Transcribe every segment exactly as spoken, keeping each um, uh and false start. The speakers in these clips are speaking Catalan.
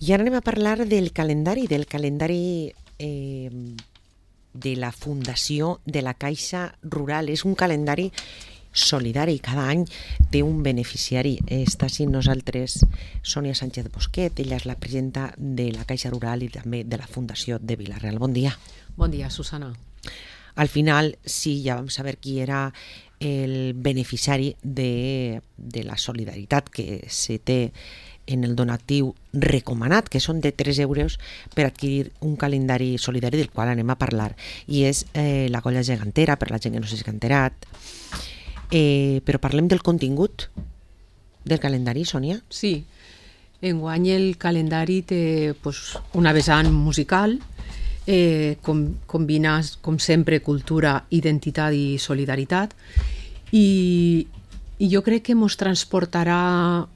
I ara anem a parlar del calendari, del calendari eh, de la Fundació de la Caixa Rural. És un calendari solidari, cada any té un beneficiari. Està així nosaltres Sònia Sánchez Bosquet, ella és la presidenta de la Caixa Rural i també de la Fundació de Vila-real. Bon dia. Bon dia, Susana. Al final, sí, ja vam saber qui era el beneficiari de, de la solidaritat que se té en el donatiu recomanat, que són de tres euros per adquirir un calendari solidari del qual anem a parlar. I és eh, la colla gegantera, per la gent que no s'ha enterat. Eh, però parlem del contingut del calendari, Sònia? Sí, enguany el calendari té pues, una vessant musical, eh, com, combina, com sempre, cultura, identitat i solidaritat, i, i jo crec que ens transportarà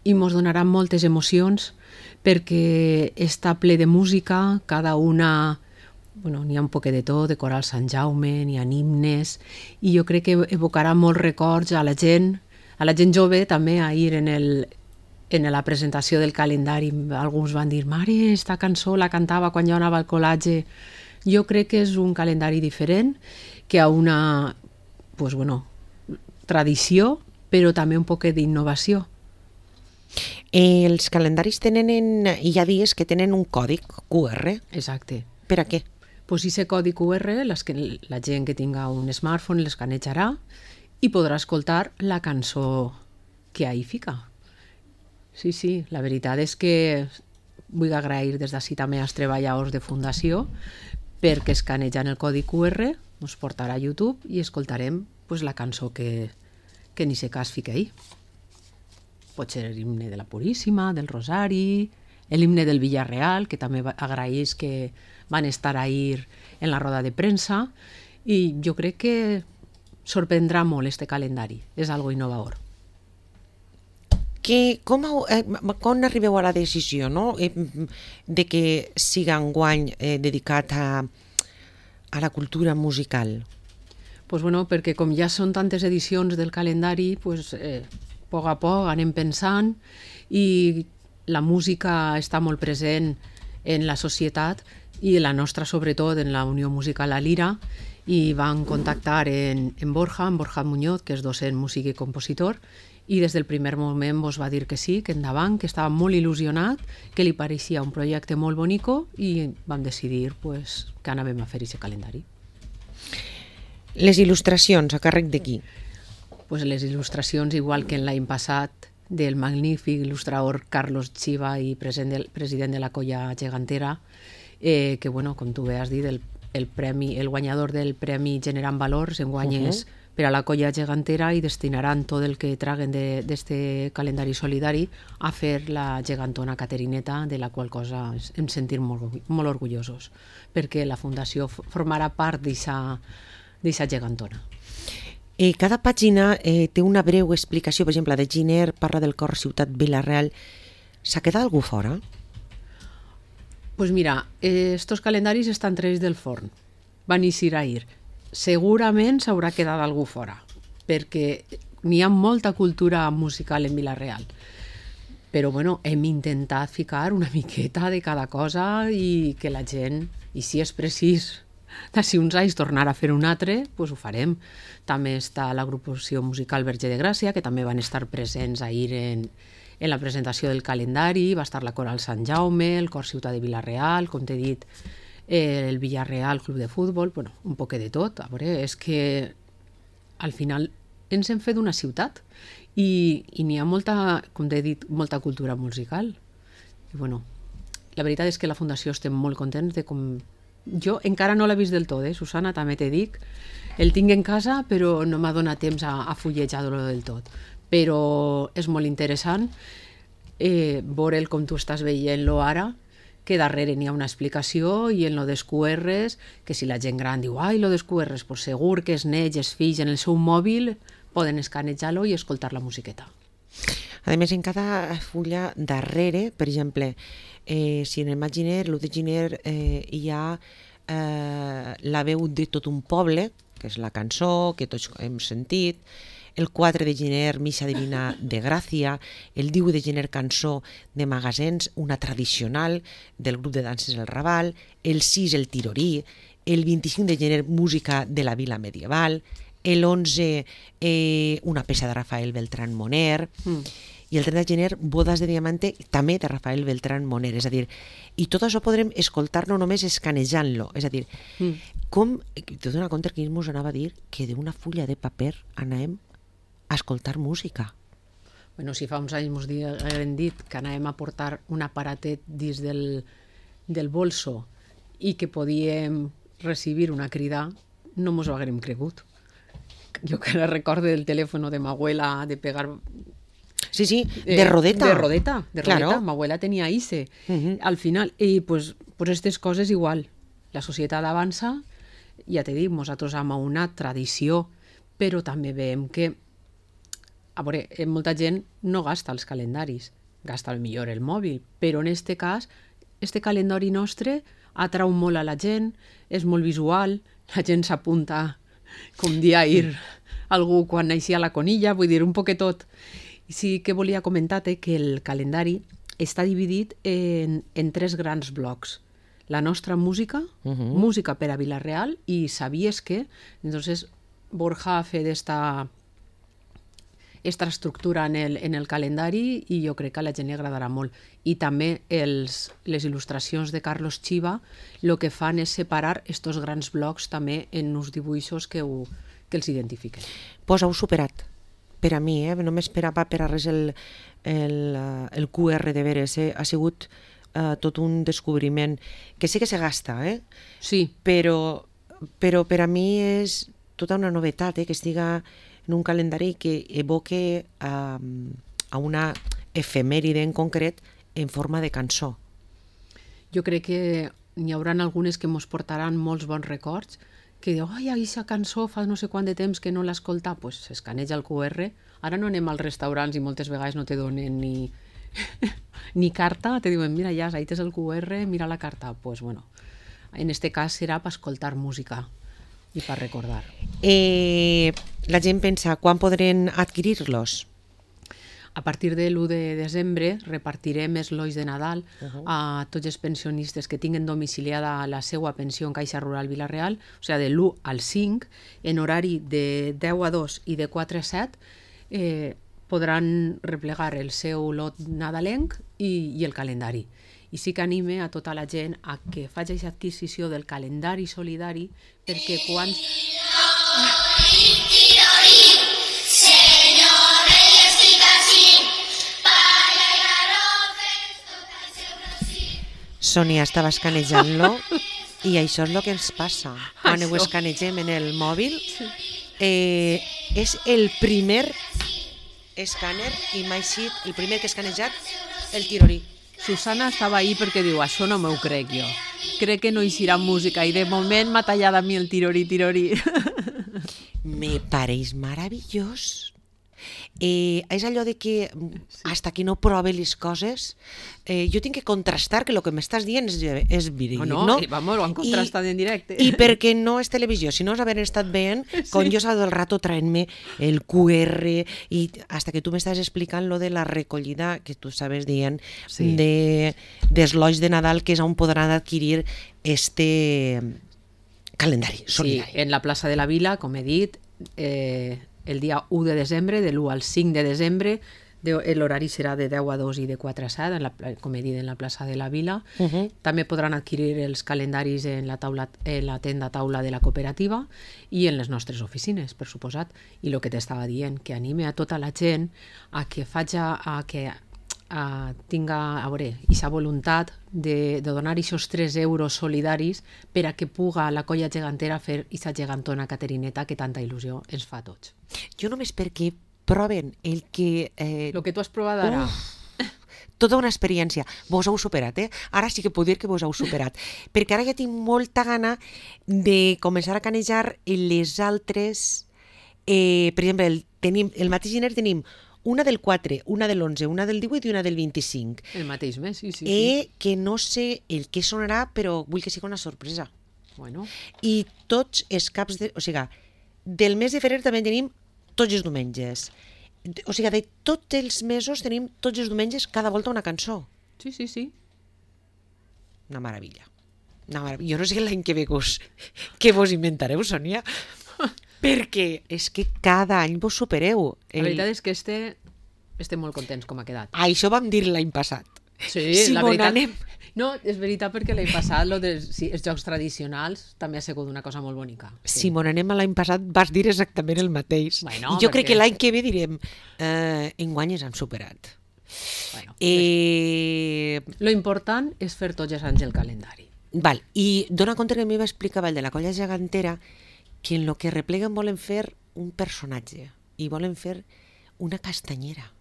i ens donarà moltes emocions perquè està ple de música, cada una... Bueno, n'hi ha un poquet de tot, de coral Sant Jaume, n'hi ha himnes, i jo crec que evocarà molts records a la gent, a la gent jove també, ahir en, el, en la presentació del calendari, alguns van dir, mare, esta cançó la cantava quan jo anava al col·legi. Jo crec que és un calendari diferent, que ha una pues, bueno, tradició, però també un poquet d'innovació. Eh, els calendaris tenen, en, hi ha dies que tenen un còdic cu erre. Exacte. Per a què? Pues ese codi cu erre, les que, la gent que tinga un smartphone l'escanejarà i podrà escoltar la cançó que ahí fica. Sí, sí, la veritat és que vull agrair des d'ací també als treballadors de Fundació perquè escanejant el codi cu erre ens portarà a YouTube i escoltarem pues, la cançó que, que ni se cas fica ahí. Pot ser l'himne de la Puríssima, del Rosari, l'himne del Vila-real, que també agraeix que van estar ahir en la roda de premsa, i jo crec que sorprendrà molt este calendari, és algo innovador. Que, com, eh, com arribeu a la decisió, no? eh, de que siga enguany eh, dedicat a, a la cultura musical? Pues bueno, perquè com ja són tantes edicions del calendari, pues, eh, a poc a poc anem pensant, i la música està molt present en la societat, i la nostra sobretot en la Unió Musical a Lira, i van contactar en, en Borja, en Borja Muñoz, que és docent, músic i compositor, i des del primer moment vos va dir que sí, que endavant, que estava molt il·lusionat, que li pareixia un projecte molt bonico, i vam decidir pues, que anàvem a fer aquest calendari. Les il·lustracions, a càrrec de qui? Pues les il·lustracions, igual que en l'any passat, del magnífic il·lustrador Carlos Chiva i president, president de la colla gegantera, eh, que, bueno, com tu bé has dit, el, el, premi, el guanyador del Premi Generant Valors enguany uh -huh. és per a la colla gegantera i destinaran tot el que traguen d'aquest calendari solidari a fer la gegantona Caterineta, de la qual cosa em sentim molt, molt orgullosos, perquè la Fundació formarà part d'aquesta gegantona. Eh, cada pàgina eh, té una breu explicació. Per exemple, de Giner parla del cor Ciutat Vila-real. S'ha quedat algú fora? Pues mira, eh, estos calendaris estan traïts del forn. Van eixir ahir. Segurament s'haurà quedat algú fora, perquè n'hi ha molta cultura musical en Vila-real. Però bueno, hem intentat ficar una miqueta de cada cosa i que la gent, i si és precís, d'ací uns anys tornar a fer un altre, doncs ho farem. També està l'agrupació musical Verge de Gràcia, que també van estar presents ahir en, en la presentació del calendari, va estar la coral Sant Jaume, el cor Ciutat de Vila-real, com t'he dit, el Vila-real Club de Futbol, bueno, un poc de tot. A veure, és que al final ens hem fet una ciutat i, i n'hi ha molta, com t'he dit, molta cultura musical. I bueno, la veritat és que la Fundació estem molt contents de com... Jo encara no l'he vist del tot, eh, Susana, també te dic. El tinc en casa, però no m'ha donat temps a, a fullejar-lo del tot. Però és molt interessant eh, veure'l com tu estàs veient-lo ara, que darrere n'hi ha una explicació, i en lo dels cu erres, que si la gent gran diu ai, lo dels cu erres, pues segur que els nets, els fills, en el seu mòbil poden escanejar-lo i escoltar la musiqueta. A més, en cada fulla darrere, per exemple, eh, si en el maig Giner, l'u de Giner, eh, hi ha eh, la veu de tot un poble, que és la cançó que tots hem sentit, el quatre de gener Missa Divina de Gràcia, el divuit de gener Cançó de Magasens, una tradicional del grup de danses El Raval, el sis el Tirorí, el vint-i-cinc de gener Música de la Vila Medieval, el onze eh, una peça de Rafael Beltrán Moner, mm. i el trenta de gener Bodas de Diamante també de Rafael Beltrán Moner, és a dir, i tot això podrem escoltar-lo només escanejant-lo, és a dir, mm. com, te dono compte que ens anava a dir que d'una fulla de paper anàvem a escoltar música. Bueno, si fa uns anys ens haguem dit que anàvem a portar un aparatet dins del, del bolso i que podíem recibir una crida, no mos ho haguem cregut. Jo que recordo del telèfon de ma abuela de pegar... Sí, sí, de rodeta. Eh, de rodeta, de claro. rodeta. Mi abuela tenía I C E. Uh-huh. Al final, y pues, pues estas coses igual. La societat avança, ja te dic, nosaltres hem una tradició, però també veiem que, a veure, molta gent no gasta els calendaris, gasta el millor el mòbil, però en este cas, este calendari nostre atrau molt a la gent, és molt visual, la gent s'apunta com dia ir algú quan naixia la conilla, vull dir, un poquet tot. I sí que volia comentar-te que el calendari està dividit en, en tres grans blocs. La nostra música, uh-huh. música per a Vila-real, i sabies que, entonces, Borja ha fet esta, esta estructura en el, en el calendari i jo crec que a la gent li agradarà molt. I també els, les il·lustracions de Carlos Chiva el que fan és separar estos grans blocs també en uns dibuixos que, ho, que els identifiquen. Pues heu superat. Per a mi, eh? no m'esperava per a res el, el, el Q R de veres, eh? Ha sigut uh, tot un descobriment, que sí que se gasta, eh? Sí. Però, però per a mi és tota una novetat, eh? Que estiga en un calendari que evoque uh, a una efemèride en concret en forma de cançó. Jo crec que n'hi haurà algunes que mos portaran molts bons records, que diu, ai, aquesta cançó fa no sé quant de temps que no l'escolta, doncs pues, s'escaneja el Q R. Ara no anem als restaurants i moltes vegades no te donen ni, ni carta, te diuen, mira, ja, ahí tens el Q R, mira la carta. Doncs, pues, bueno, en este cas serà per escoltar música i per recordar. Eh, la gent pensa, quan podrem adquirir-los? A partir de l'u de desembre repartirem eslois de Nadal uh-huh. a tots els pensionistes que tinguen domiciliada la seva pensió en Caixa Rural Vila-real, o sigui, de l'u al cinc, en horari de deu a dos i de quatre a set, eh, podran replegar el seu lot nadalenc i, i el calendari. I sí que anime a tota la gent a que faci aquesta adquisició del calendari solidari perquè quan... Sònia estava escanejant-lo i això és el que ens passa quan ho escanegem en el mòbil. Eh, és el primer escàner i m'ha eixit el primer que he escanejat, el Tirorí. Susana estava ahí perquè diu, això no m'ho crec jo. Crec que no eixirà música i de moment m'ha tallat a mi el Tirorí, Tirorí. Me pareix meravellós. Eh, és allò de que hasta que no prove les coses eh, jo tinc que contrastar que el que m'estàs dient és, és verídic, oh, no? no? I, vamos, ho han contrastat I, en directe. I perquè no és televisió, si no és haver estat veient sí. com jo todo el rato traent-me el Q R i hasta que tu m'estàs explicant lo de la recollida que tu sabes dient sí. de d'eslois de Nadal, que és on podran adquirir este calendari solidari. Sí, en la plaça de la Vila, com he dit, eh, el dia u de desembre, de l'u al cinc de desembre, l'horari serà de deu a dos i de quatre a set, en la, com he dit, en la plaça de la Vila. Uh-huh. També podran adquirir els calendaris en la, taula, en la tenda taula de la cooperativa i en les nostres oficines, per suposat. I el que t'estava dient, que anime a tota la gent a que faci, a que a, tinga, a veure, aquesta voluntat de, de donar aquests tres euros solidaris per a que puga la colla gegantera fer aquesta gegantona Caterineta que tanta il·lusió ens fa a tots. Jo només perquè proven el que... Eh... El que tu has provat ara. Uf, tota una experiència. Vos heu superat, eh? Ara sí que puc dir que vos heu superat. Perquè ara ja tinc molta gana de començar a canejar les altres... Eh, per exemple, el, tenim, el mateix gener tenim una del quatre, una de l'onze, una del divuit i una del vint-i-cinc. El mateix mes, sí, sí. Eh, sí. Que no sé el que sonarà, però vull que sigui una sorpresa. Bueno. I tots els caps de... O sigui, del mes de febrer també tenim tots els diumenges. O sigui, de tots els mesos tenim tots els diumenges cada volta una cançó. Sí, sí, sí. Una meravella. Una meravella. Jo no sé l'any que ve vos, què vos inventareu, Sònia, perquè és que cada any vos supereu. El... La veritat és que este, estem molt contents com ha quedat. Això vam dir l'any passat. Sí, si la veritat... anem... No, és veritat perquè l'any passat lo de, sí, els jocs tradicionals també ha sigut una cosa molt bonica. Sí. Si m'on anem a l'any passat vas dir exactament el mateix. Bueno, I jo perquè... crec que l'any que ve direm eh, enguany ens han superat. Bueno, eh... Lo important és fer tots els anys el calendari. Val, i dona compte que a mi m'explicava el de la colla gegantera que en lo que repleguen volen fer un personatge i volen fer una castanyera.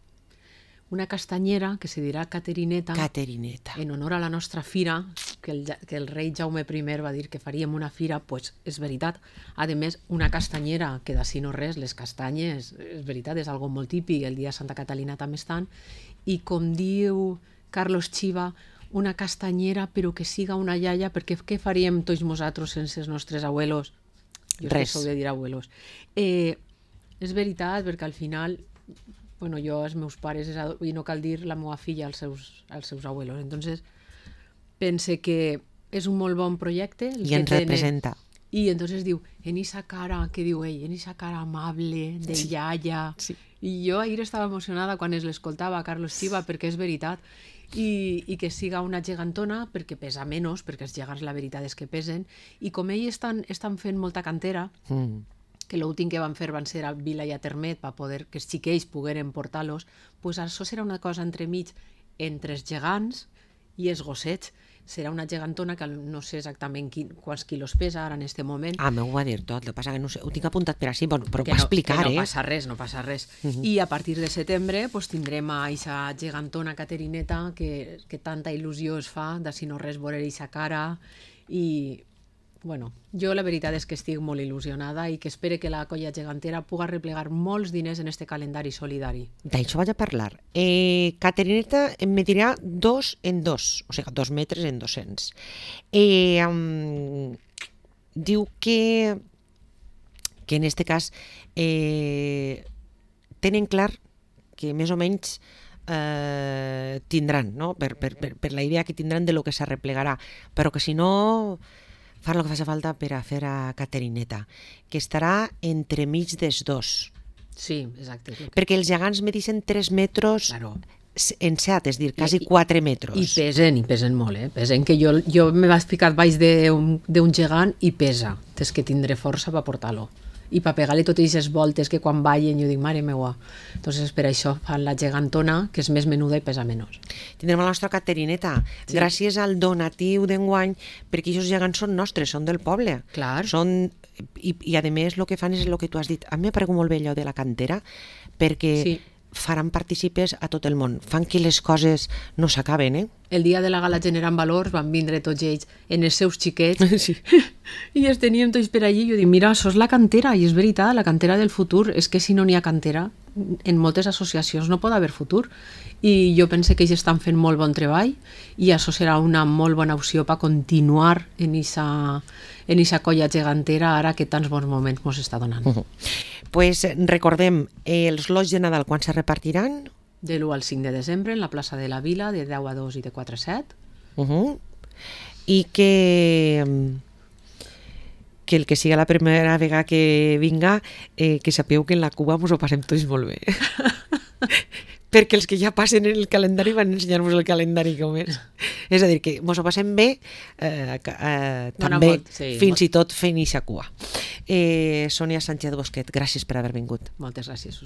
Una castanyera que se dirà Caterineta, Caterineta. En honor a la nostra fira, que el, que el rei Jaume primer va dir que faríem una fira, pues és veritat. A més, una castanyera, que d'ací no res, les castanyes, és veritat, és algo molt típic, el dia de Santa Catalina també estan, i com diu Carlos Chiva, una castanyera però que siga una iaia, perquè què faríem tots nosaltres sense els nostres abuelos? Jo res. Sou de dir abuelos. Eh, és veritat, perquè al final... Bueno, jo, els meus pares, i no cal dir la meva filla als seus, als seus abuelos. Entonces, pense que és un molt bon projecte. El I que ens tene... representa. I entonces diu, en esa cara, què diu ell? En esa cara amable, de sí. iaia. Sí. I jo ahir estava emocionada quan es l'escoltava a Carlos Chiva, perquè és veritat. I, i que siga una gegantona, perquè pesa menys, perquè els gegants la veritat és que pesen. I com ells estan, estan fent molta cantera, mm. que l'últim que van fer van ser a Vila i a Termet per poder que els xiquells pogueren portar-los, doncs això serà una cosa entremig entre els gegants i els gossets. Serà una gegantona que no sé exactament quin, quants quilos pesa ara en aquest moment. Ah, m'ho va dir tot, el que passa que no sé, ho tinc apuntat per així, bueno, però ho va no, explicar, que no eh? No passa res, no passa res. Uh -huh. I a partir de setembre pues, tindrem a aquesta gegantona Caterineta que, que tanta il·lusió es fa, de si no res veure aquesta cara i... Bueno, jo la veritat és que estic molt il·lusionada i que espero que la colla gegantera pugui replegar molts diners en este calendari solidari. D'això vaig a parlar. Eh, Caterineta em medirà dos en dos, o sigui, dos metres en dos-cents. Eh, um, diu que, que en este cas eh, tenen clar que més o menys eh, tindran, no? per, per, per, per la idea que tindran de lo que s'arreplegarà, però que si no... fan el que faci falta per a fer a Caterineta, que estarà entremig dels dos. Sí, exacte. Que... Perquè els gegants medixen tres metres claro. en set, és dir, quasi quatre metres. I pesen, i pesen molt, eh? Pesen que jo, jo me vaig ficar baix d'un gegant i pesa. És que tindré força per portar-lo. I per pegar-li totes aquestes voltes que quan ballen jo dic, mare meua. Entonces per això fan la gegantona, que és més menuda i pesa menys. Tindrem la nostra Caterineta, sí. gràcies al donatiu d'enguany, perquè aquests gegants són nostres, són del poble. Clar. Són, i, i a més el que fan és el que tu has dit. A mi m'ha paregut molt bé allò de la cantera, perquè sí. faran partícipes a tot el món. Fan que les coses no s'acaben, eh? El dia de la gala Generant Valors van vindre tots ells en els seus xiquets sí. i els teníem tots per allí i jo dic, mira, això és la cantera, i és veritat, la cantera del futur. És que si no n'hi ha cantera, en moltes associacions no pot haver futur. I jo pense que ells estan fent molt bon treball i això serà una molt bona opció per continuar en aquesta en aquesta colla gegantera ara que tants bons moments ens està donant. Uh -huh. Pues recordem, eh, els lots de Nadal quan se repartiran? De l'u al cinc de desembre en la plaça de la Vila, de deu a dos i de quatre a set. Uh -huh. I que... que el que siga la primera vegada que vinga, eh, que sapigueu que en la Cuba ens ho passem tots molt bé. Perquè els que ja passen en el calendari van ensenyar-vos el calendari com és. És a dir, que ens ho passem bé eh, eh, també, molt, sí, fins molt... i tot fent ixa cua. Eh, Sònia Sánchez Bosquet, gràcies per haver vingut. Moltes gràcies.